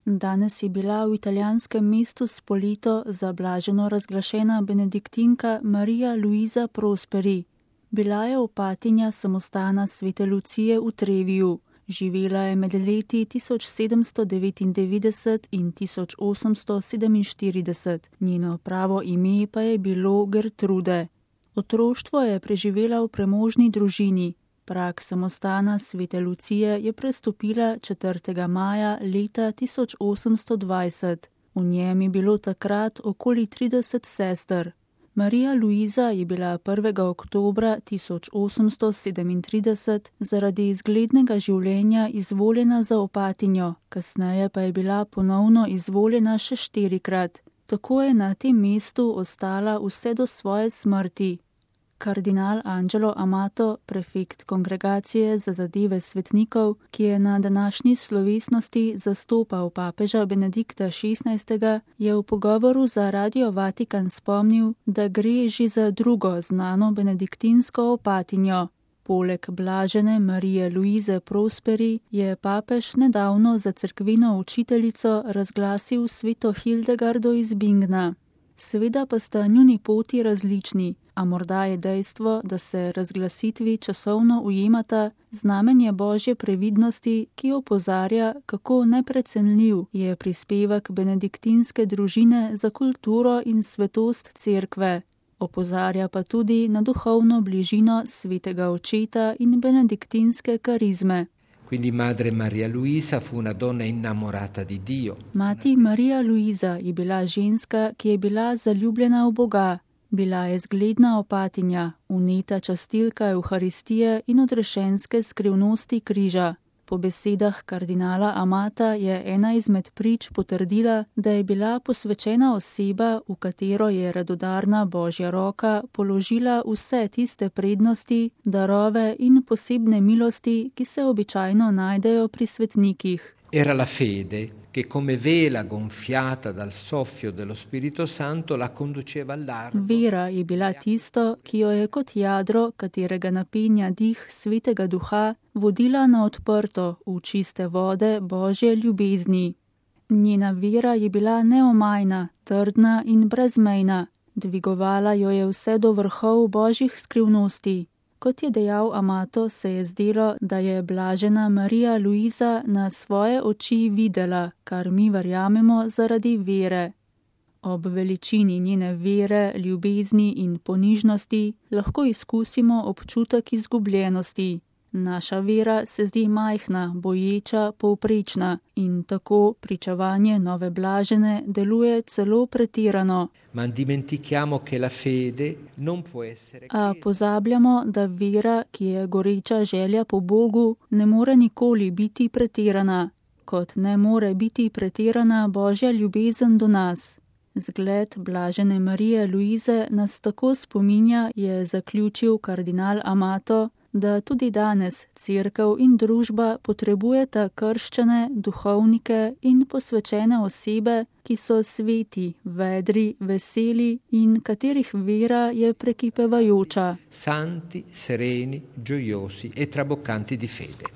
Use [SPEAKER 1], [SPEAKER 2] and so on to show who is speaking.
[SPEAKER 1] Danes je bila v italijanskem mestu Spoleto za blaženo razglašena benediktinka Marija Luisa Prosperi. Bila je opatinja samostana Svete Lucije v Treviju. Živela je med leti 1799 in 1847, njeno pravo ime pa je bilo Gertrude. Otroštvo je preživela v premožni družini. Prag samostana Svete Lucije je prestopila 4. maja leta 1820. V njem je bilo takrat okoli 30 sester. Marija Luisa je bila 1. oktobra 1837 zaradi izglednega življenja izvoljena za opatinjo, kasneje pa je bila ponovno izvoljena še 4-krat. Tako je na tem mestu ostala vse do svoje smrti. Kardinal Angelo Amato, prefekt Kongregacije za zadeve svetnikov, ki je na današnji slovesnosti zastopal papeža Benedikta XVI, je v pogovoru za Radio Vatikan spomnil, da gre že za drugo znano benediktinsko opatinjo. Poleg blažene Marije Luise Prosperi je papež nedavno za cerkveno učiteljico razglasil sveto Hildegardo iz Bingna. Seveda pa sta njuni poti različni, a morda je dejstvo, da se razglasitvi časovno ujemata, znamenje Božje previdnosti, ki opozarja, kako neprecenljiv je prispevek benediktinske družine za kulturo in svetost cerkve. Opozarja pa tudi na duhovno bližino svetega očeta in benediktinske karizme.
[SPEAKER 2] Quindi madre Maria Luisa fu una donna innamorata di Dio.
[SPEAKER 1] Mati Marija Luisa je bila ženska, ki je bila zaljubljena v Boga. Bila je zgledna opatinja, vneta častilka Evharistije in odrešenske skrivnosti križa. Po besedah kardinala Amata je ena izmed prič potrdila, da je bila posvečena oseba, v katero je radodarna Božja roka položila vse tiste prednosti, darove in posebne milosti, ki se običajno najdejo pri svetnikih.
[SPEAKER 2] Era la fede che come vela gonfiata dal soffio dello Spirito Santo la conduceva al largo.
[SPEAKER 1] Vera je bila tisto, ki jo je kot jadro, katerega napenja dih Svetega Duha, vodila na odprto v čiste vode Božje ljubezni. Njena vera je bila neomajna, trdna in brezmejna. Dvigovala jo je vse do vrhov Božjih skrivnosti. Kot je dejal Amato, se je zdelo, da je blažena Marija Luisa na svoje oči videla, kar mi verjamemo zaradi vere. Ob veličini njene vere, ljubezni in ponižnosti lahko izkusimo občutek izgubljenosti. Naša vera se zdi majhna, boječa, povprečna in tako pričevanje nove blažene deluje celo pretirano. A pozabljamo, da vera, ki je goreča želja po Bogu, ne more nikoli biti pretirana, kot ne more biti pretirana Božja ljubezen do nas. Zgled blažene Marije Luise nas tako spominja, je zaključil kardinal Amato, da tudi danes cerkev in družba potrebujeta krščene, duhovnike in posvečene osebe, ki so sveti, vedri, veseli in katerih vera je prekipevajoča.
[SPEAKER 2] Santi, sereni, gioiosi e traboccanti di fede.